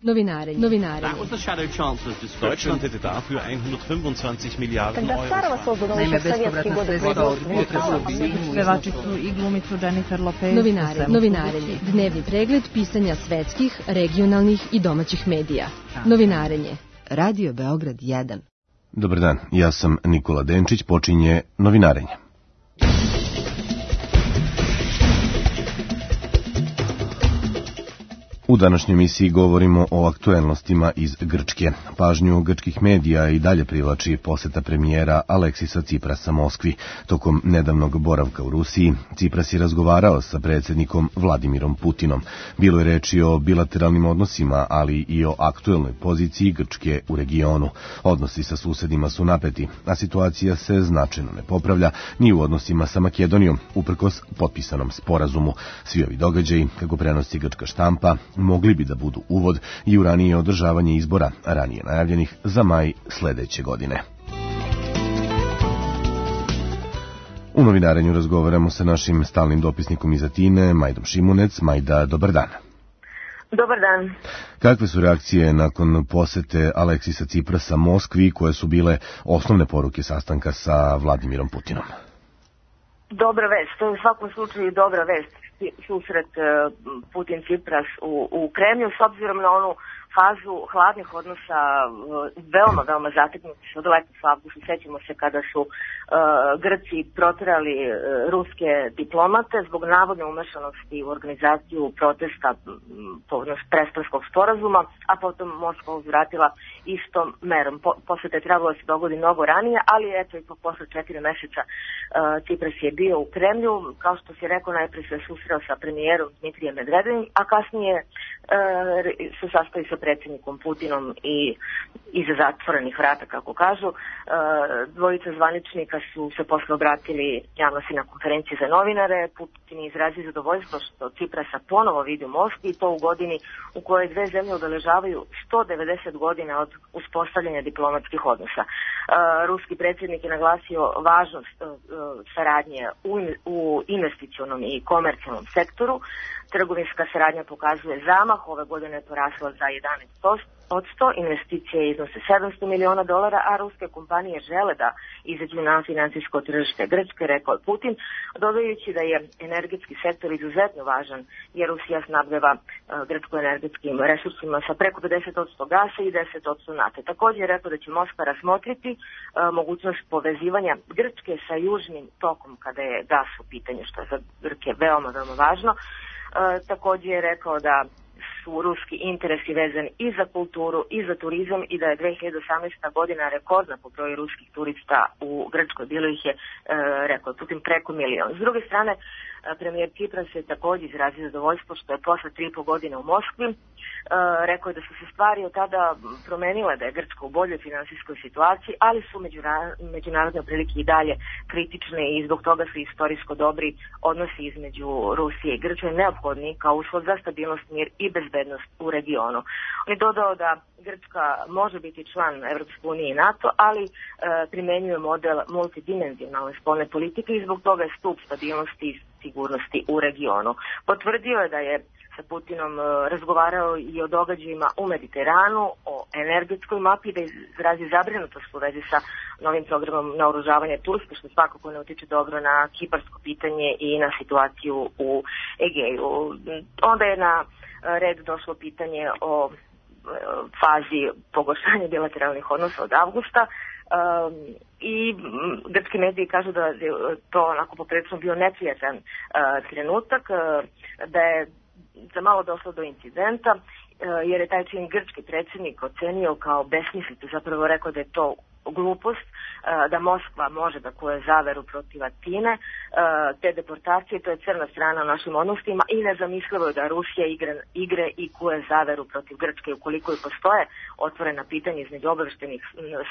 Novinarenje. That was the Shadow Chancellor's description. Deutschland hätte dafür 125 Miliarden Euro. Naime, bespovratna sredstva od pevačicu i glumicu Jennifer Lopez. Novinarenje. Dnevni pregled pisanja svetskih, regionalnih i domaćih medija. Novinarenje. Radio Beograd 1. Dobar dan, ja sam Nikola Denčić, počinje Novinarenje. U današnjoj emisiji govorimo o aktuelnostima iz Grčke. Pažnju grčkih medija i dalje privlači poseta premijera Aleksisa Ciprasa Moskvi. Tokom nedavnog boravka u Rusiji, Cipras je razgovarao sa predsjednikom Vladimirom Putinom. Bilo je reči o bilateralnim odnosima, ali i o aktuelnoj poziciji Grčke u regionu. Odnosi sa susedima su napeti, a situacija se značajno ne popravlja ni u odnosima sa Makedonijom, uprkos potpisanom sporazumu. Svi ovi događaji, kako prenosi grčka štampa, mogli bi da budu uvod i u ranije održavanje izbora, ranije najavljenih za maj sledeće godine. U Novinarenju razgovaramo sa našim stalnim dopisnikom iz Atine, Majdom Šimunec. Majda, dobar dan. Dobar dan. Kakve su reakcije nakon posete Aleksisa Ciprasa Moskvi, koje su bile osnovne poruke sastanka sa Vladimirom Putinom? Dobra vest, to je u svakom slučaju dobra vest, susret Putin-Cipras u Kremlju, s obzirom na onu fazu hladnih odnosa, veoma zategnuti od letos u avgustu. Sećamo se kada su Grci proterali ruske diplomate zbog navodne umešanosti u organizaciju protesta povodom Prespanskog sporazuma, a potom Moskva uzvratila istom merom. Posle te trebalo se dogodi mnogo ranije, ali eto i posle 4 meseca Cipras je bio u Kremlju. Kao što si rekao, najprije se susreo sa premijerom Dmitrijem Medvedevim, a kasnije se sastoji sa predsjednikom Putinom i iza zatvorenih vrata, kako kažu. Dvojica zvaničnika su se posle obratili javnosti na konferenciji za novinare. Putin je izrazio zadovoljstvo što Ciprasa ponovo vidi u Moskvi, i to u godini u kojoj dve zemlje obeležavaju 190 godina od uspostavljanja diplomatskih odnosa. Ruski predsjednik je naglasio važnost saradnje u investicionom i komercijalnom sektoru. Trgovinska saradnja pokazuje zamah, ove godine je porasla za 11%, investicije iznose $700 miliona, a ruske kompanije žele da izađu na financijsko tržište Grčke, rekao je Putin, dodajući da je energetski sektor izuzetno važan, jer Rusija snabdeva Grčku energetskim resursima sa preko 50% gasa i 10% nafte. Također je rekao da će Moskva razmotriti mogućnost povezivanja Grčke sa južnim tokom kada je gas u pitanju, što je za Grke veoma važno. Također je rekao da su ruski interesi vezani i za kulturu i za turizam i da je 2018. godina rekordna po broju ruskih turista u Grčkoj. Bilo ih je, rekao Putin, preko 1 milion. S druge strane, premijer Cipras je također izrazio zadovoljstvo što je posle 3,5 godine u Moskvi. Rekao je da su se stvari od tada promenile, da je Grčka u boljoj finansijskoj situaciji, ali su međunarodne prilike i dalje kritične i zbog toga su istorijsko dobri odnosi između Rusije i Grčke neophodni kao uslov za stabilnost, mir i bezbednost u regionu. On je dodao da Grčka može biti član Evropske unije i NATO, ali primenjuje model multidimenzionalne spoljne politike i zbog toga je stup stabilnosti i sigurnosti u regionu. Potvrdio je da je sa Putinom razgovarao i o događajima u Mediteranu, o energetskoj mapi, da izrazi zabrinutost u vezi sa novim programom naoružavanja Turske, što svakako ne utiče dobro na kiparsko pitanje i na situaciju u Egeju. Onda je na red došlo pitanje o fazi pogoršanja bilateralnih odnosa od avgusta, i grčki mediji kažu da je to onako poprilično bio neprijatan trenutak, da je za malo došlo do incidenta, jer je taj čin grčki predsjednik ocenio kao besmislicu, zapravo rekao da je to glupost, da Moskva može da kuje zaveru protiv Atine, te deportacije, to je crna strana u našim odnosima i nezamislivo je da Rusija igre i kuje zaveru protiv Grčke. Ukoliko i postoje otvorena pitanja između obaveštenih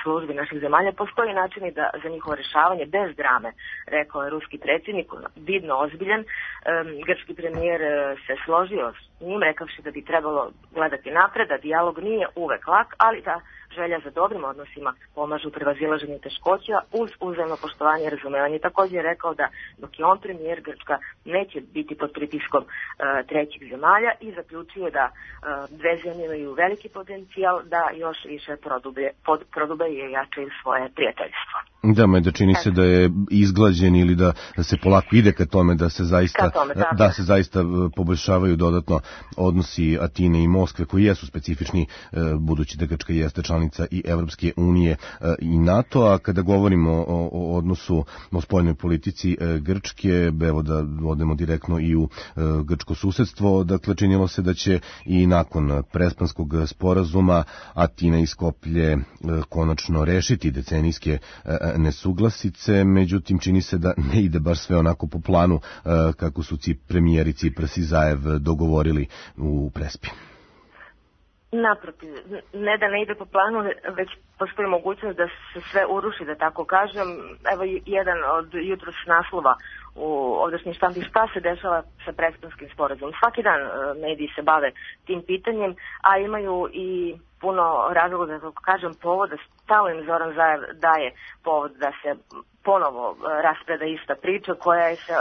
službi naših zemalja, postoji načini da za njihovo rešavanje bez drame, rekao je ruski predsjednik, vidno ozbiljan. Grčki premijer se složio s njim, rekavši da bi trebalo gledati napred, da dijalog nije uvek lak, ali da želja za dobrim odnosima pomažu u prevazilaženju teškoća uz uzajamno poštovanje i razumevanje. Također je rekao da dok je on premijer, Grčka neće biti pod pritiskom trećih zemalja i zaključio da dve zemlje imaju veliki potencijal da još više prodube i jačaju svoje prijateljstvo. Da čini se da je izglađen ili da se polako ide ka tome da se zaista poboljšavaju dodatno odnosi Atine i Moskve, koji jesu specifični, budući da Grčka jeste članica i Evropske unije i NATO. A kada govorimo o odnosu o spoljnoj politici Grčke, evo da odemo direktno i u grčko susedstvo, dakle činilo se da će i nakon Prespanskog sporazuma Atina i Skoplje konačno rešiti decenijske nesuglasice, međutim čini se da ne ide baš sve onako po planu kako su premijeri Cipras i Zaev dogovorili u Prespi. Naprotiv, ne da ne ide po planu, već postoji mogućnost da se sve uruši, da tako kažem. Evo jedan od jutros naslova u ovdašnjim štampi, šta se dešava sa Prespanskim sporazumom. Svaki dan mediji se bave tim pitanjem, a imaju i puno razloga, da tako kažem, povoda. Stalno im Zoran Zaev daje povod da se ponovo raspreda ista priča koja je se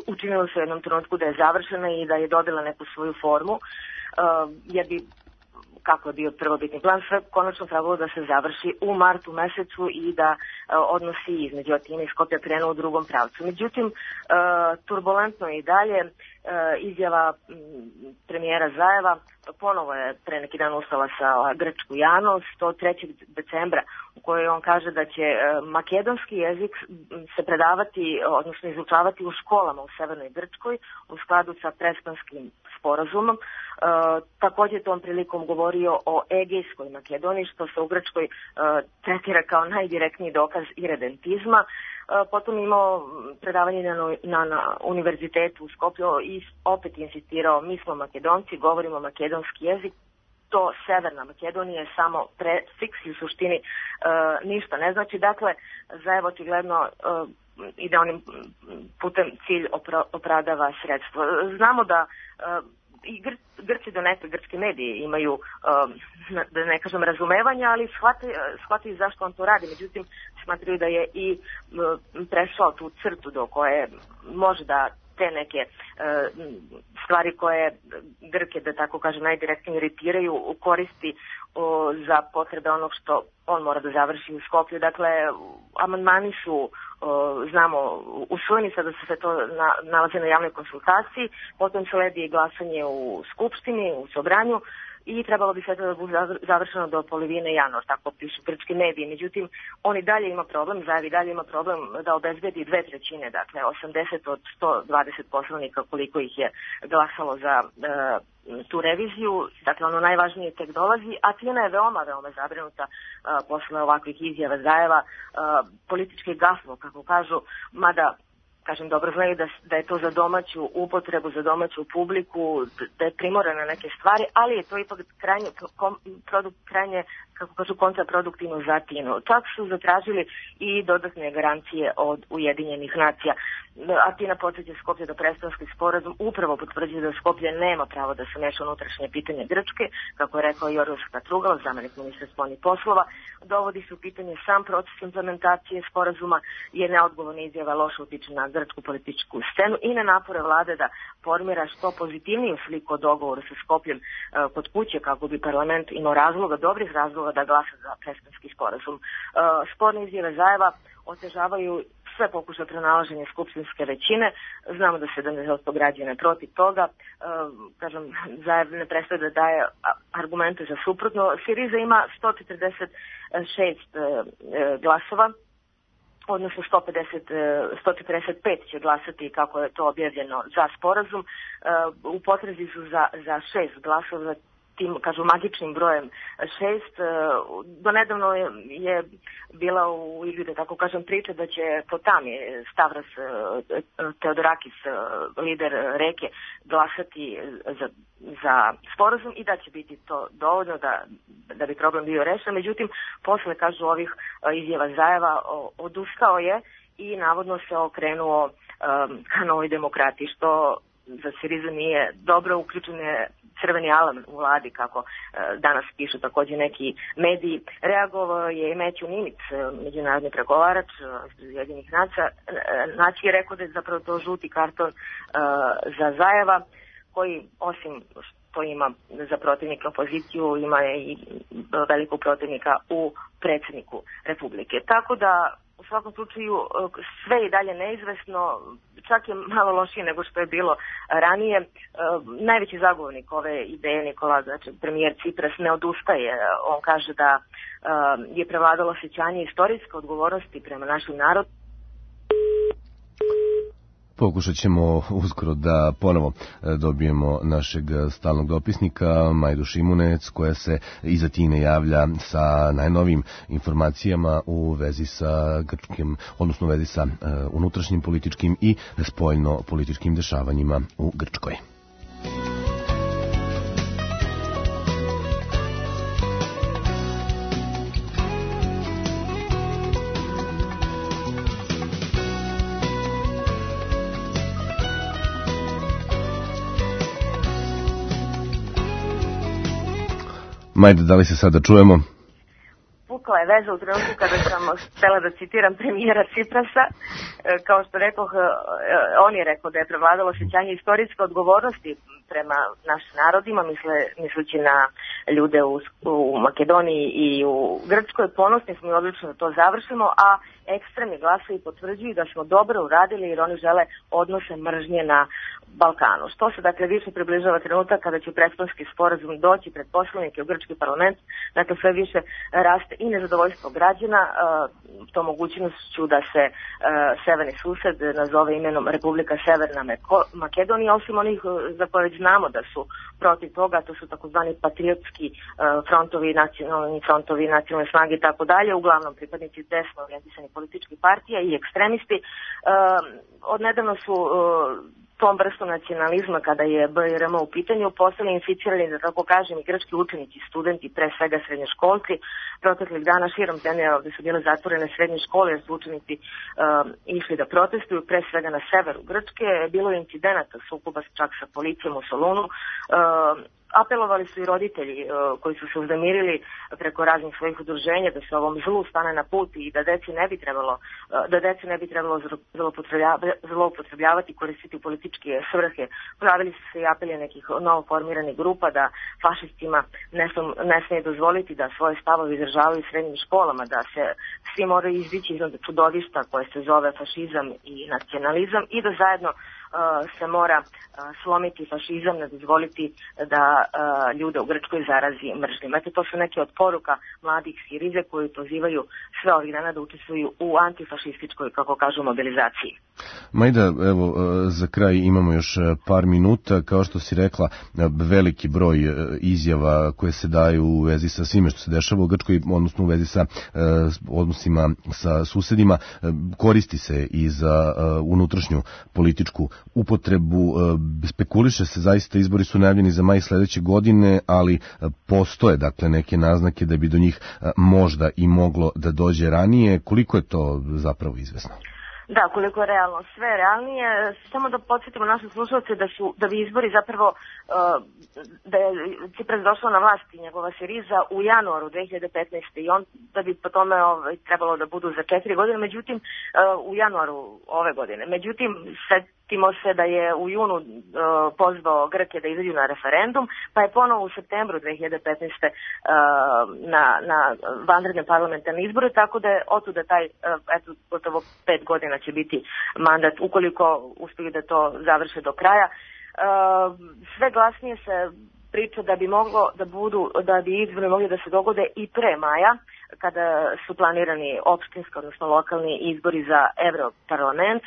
učinila se u jednom trenutku da je završena i da je dobila neku svoju formu, jer bi, kako je bio prvobitni plan, sve konačno trebalo da se završi u martu mesecu i da odnosi između Atine i Skoplja krenu u drugom pravcu. Međutim, turbulentno je i dalje. Izjava premijera Zaeva ponovo je pre neki dan ustala sa grčku javnost 3. decembra, u kojoj on kaže da će makedonski jezik se predavati, odnosno izučavati u školama u Severnoj Grčkoj u skladu sa Prespanskim sporazumom. Također tom prilikom govorio o Egejskoj Makedoniji, što se u Grčkoj tretira kao najdirektniji dokaz iredentizma. Potom imao predavanje na univerzitetu u Skoplju i opet insistirao, mi smo Makedonci, govorimo makedonski jezik, to Severna Makedonija je samo prefiks i u suštini ništa ne znači. Dakle, Zaev očigledno ide onim putem cilj opravdava sredstvo. Znamo da i Grci donekle, grčki mediji imaju, da ne kažem razumevanja, ali shvataju zašto on to radi. Međutim, smatraju da je i prešao tu crtu do koje može da te neke stvari koje Grke, da tako kažem, najdirektnije iritiraju, koristi za potrebe onog što on mora da završi u Skoplju. Dakle, amandmani su, znamo, usvojeni, sada se to nalazi na javnoj konsultaciji, potom sledi glasanje u Skupštini, u Sobranju, i trebalo bi sve to da bude završeno do polovine januara, tako pišu grčki mediji. Međutim, on i dalje ima problem, Zaev i dalje ima problem da obezbedi 2/3, dakle 80 od 120 poslanika koliko ih je glasalo za tu reviziju. Dakle, ono najvažnije tek dolazi. Atina je veoma zabrinuta posle ovakvih izjava Zaeva, politički gaflo, kako kažu, mada kažem, dobro znaju da je to za domaću upotrebu, za domaću publiku, da je primorana na neke stvari, ali je to ipak krajnje, kako kažu, kontraproduktivno za Atinu. Čak su zatražili i dodatne garancije od Ujedinjenih nacija. Atina podsjeća Skoplje da Prespanski sporazum upravo potvrđuje da Skoplje nema pravo da se meša unutrašnje pitanje Grčke, kako je rekao Jorgos Katrugalos, zamenik ministra spoljnih poslova. Dovodi se u pitanje sam proces implementacije sporazuma, jer neodgovorna izjava loše utiče na grčku političku scenu i na napore vlade da formira što pozitivniju sliku o dogovoru sa Skopljem kod kuće, kako bi parlament imao dobrih razloga da glasa za Prespanski sporazum. Sporne izjave Zaeva otežavaju sve pokušaje pronalaženja skupštinske većine. Znamo da 70% građana je protiv toga. Kažem, Zaev ne prestaje da daje argumente za suprotno. Siriza ima 146 glasova, odnosno 145 će glasati, kako je to objavljeno, za sporazum. U potrazi su za 6 glasova, tim, kažu, magičnim brojem 6. Donedavno je bila u igri, da tako kažem, priča da će Potami, Stavros Teodorakis, lider Reke, glasati za sporazum i da će biti to dovoljno da bi problem bio rešen. Međutim, posle, kažu, ovih izjava Zaeva odustao je i navodno se okrenuo ka Novoj demokratiji, što za Sirizu nije dobro. Uključen je crveni alarm u vladi, kako danas pišu takođe neki mediji. Reagovao je i Matthew Nimitz, međunarodni pregovarač iz Ujedinjenih nacija, je rekao da je zapravo to žuti karton za Zajeva, koji osim što ima za protivnika opoziciju, ima i velikog protivnika u predsjedniku Republike. Tako da u svakom slučaju sve je dalje neizvesno, čak je malo lošije nego što je bilo ranije. Najveći zagovornik ove ideje, Nikola, znači premijer Cipras, ne odustaje. On kaže da je prevladalo osjećanje istorijske odgovornosti prema našem narodu. Pokušat ćemo uskoro da ponovo dobijemo našeg stalnog dopisnika Majdu Šimunec, koja se iz Atine javlja sa najnovijim informacijama u vezi sa grčkim, odnosno u vezi sa unutrašnjim političkim i spoljno političkim dešavanjima u Grčkoj. Majde, da li se sada čujemo? Pukla je veza u trenutku kada sam htela da citiram premijera Ciprasa. Kao što rekoh, on je rekao da je prevladalo osjećanje istorijske odgovornosti prema našim narodima, misleći na ljude u Makedoniji i u Grčkoj. Ponosni smo i odlično da to završimo, a ekstremni glasovi potvrđuju da smo dobro uradili jer oni žele odnose mržnje na Balkanu. Što se dakle više približava trenutak kada će Prespanski sporazum doći pred poslanike u grčki parlament, dakle sve više raste i nezadovoljstvo građana tom mogućnošću da se severni sused nazove imenom Republika Severna Makedonija, osim onih za koje već znamo da su protiv toga, to su takozvani patriotski frontovi, nacionalni frontovi, nacionalne snage i tako dalje, uglavnom pripadnici desno orijentisanih političkih partija i ekstremisti. Odnedavno su tom vrstu nacionalizma, kada je BRM u pitanju, postali inficirani, da tako kažem, i grčki učenici, studenti, pre svega srednjoškolci. Proteklih dana širom zemlje ovde su bile zatvorene srednje škole jer su učenici išli da protestuju, pre svega na severu Grčke. Bilo je incidenata, sukoba čak sa policijom u Solunu. Apelovali su i roditelji koji su se uznemirili preko raznih svojih udruženja da se ovom zlu stane na put i da deci ne bi trebalo zloupotrebljavati, koristiti u političke svrhe. Pojavili su se i apeli nekih novoformiranih grupa da fašistima ne smije dozvoliti da svoje stavove izražavaju u srednjim školama, da se svi moraju izdići iznad čudovišta koje se zove fašizam i nacionalizam i da zajedno se mora slomiti fašizam, ne dozvoliti da ljude u Grčkoj zarazi mržnjom. Eto, to su neke od poruka mladih Sirize koji pozivaju sve ovih dana da učestvuju u antifašističkoj, kako kažu, mobilizaciji. Majda, evo, za kraj imamo još par minuta. Kao što si rekla, veliki broj izjava koje se daju u vezi sa svime što se dešava u Grčkoj, odnosno u vezi sa odnosima sa susedima, koristi se i za unutrašnju političku upotrebu. Spekuliše se, zaista izbori su najavljeni za maj sledeće godine, ali postoje dakle neke naznake da bi do njih možda i moglo da dođe ranije. Koliko je to zapravo izvesno? Da, koliko je realno. Sve je realnije. Samo da podsjetimo naše slušalce da bi izbori zapravo, da je Cipras došao na vlast i njegova Siriza u januaru 2015. i on da bi po tome trebalo da budu za 4 godine, međutim u januaru ove godine. Međutim, setimo se da je u junu pozvao Grke da izađu na referendum, pa je ponovo u septembru 2015. na vanredne parlamentarne izbore, tako da je otuda taj, gotovo 5 godina će biti mandat, ukoliko uspiju da to završe do kraja. Sve glasnije se priča da bi izbori mogli da se dogode i pre maja, kada su planirani opštinski, odnosno lokalni izbori za Evroparlament,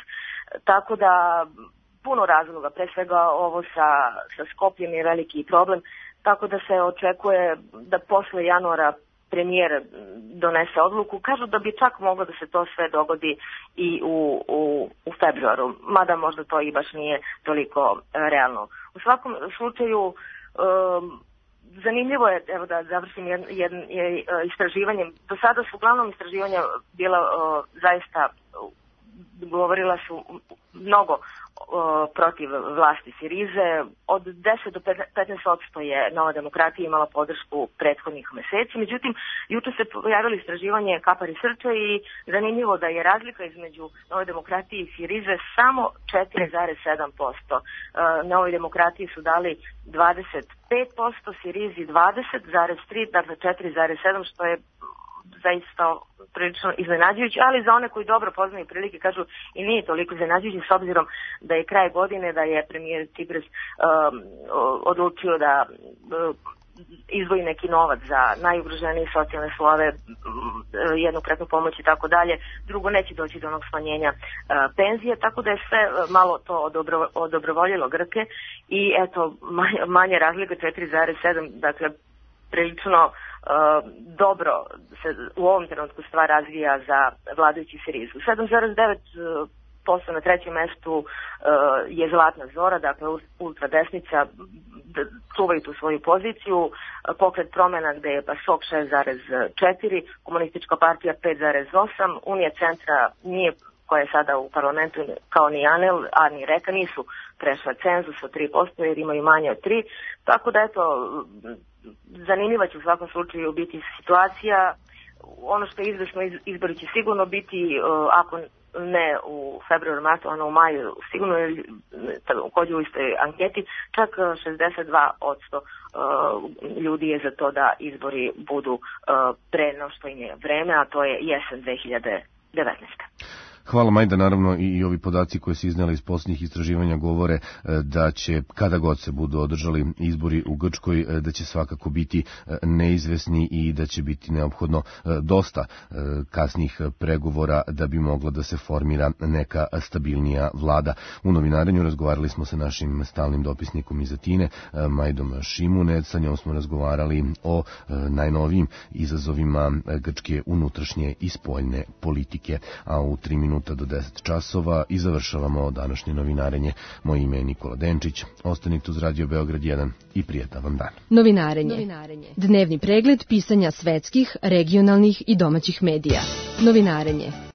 tako da puno razloga, pre svega ovo sa Skopljem je veliki problem, tako da se očekuje da posle januara premijer donese odluku. Kažu da bi čak moglo da se to sve dogodi i u februaru, mada možda to i baš nije toliko realno. U svakom slučaju, zanimljivo je, evo da završim istraživanjem, do sada su uglavnom istraživanja bila zaista govorila su mnogo protiv vlasti Sirize. Od 10 do 15% je Nova demokratija imala podršku prethodnih meseci. Međutim, juče se pojavilo istraživanje Kapari Srča i zanimljivo da je razlika između Nove demokratije i Sirize samo 4,7%. Novoj demokratiji su dali 25%, Sirizi 20,3%, dakle 4,7%, što je zaista prilično iznenađujući, ali za one koji dobro poznaju prilike kažu i nije toliko iznenađujući, s obzirom da je kraj godine, da je premijer Tsipras odlučio da izdvoji neki novac za najugroženije socijalne slojeve, jednokratnu pomoć i tako dalje. Drugo, neće doći do onog smanjenja penzije, tako da je sve malo to odobrovoljilo Grke i eto, manje razlika 4,7, dakle prilično dobro se u ovom trenutku stvar razvija za vladajući Sirizu. 7,9% na trećem mestu je Zlatna Zora, dakle ultradesnica, čuvaju tu svoju poziciju. Pokret Promena gde je PASOK 6,4%, Komunistička partija 5,8%, Unija centra nije, koja je sada u parlamentu, kao ni ANEL, a ni Reka nisu prešla cenzus od 3%, jer imaju manje od 3%. Tako da eto, zanimljiva će u svakom slučaju biti situacija. Ono što je izvesno, izbori će sigurno biti, ako ne u februaru, martu, ono u maju, sigurno je također u istoj anketi, čak 62% ljudi je za to da izbori budu pre no što im je vreme, a to je jesen 2019. Hvala Majda, naravno i ovi podaci koji se iznijeli iz posljednjih istraživanja govore da će, kada god se budu održali izbori u Grčkoj, da će svakako biti neizvesni i da će biti neophodno dosta kasnijih pregovora da bi mogla da se formira neka stabilnija vlada. U novinarenju razgovarali smo sa našim stalnim dopisnikom iz Atine, Majdom Šimunec, sa njom smo razgovarali o najnovijim izazovima grčke unutrašnje i spoljne politike, a u 3 minuta do 10 časova i završavamo današnje novinarenje. Moje ime je Nikola Denčić. Ostanite uz Radio Beograd 1 i prijetan vam dan. Novinarenje. Dnevni pregled pisanja svetskih, regionalnih i domaćih medija. Novinarenje.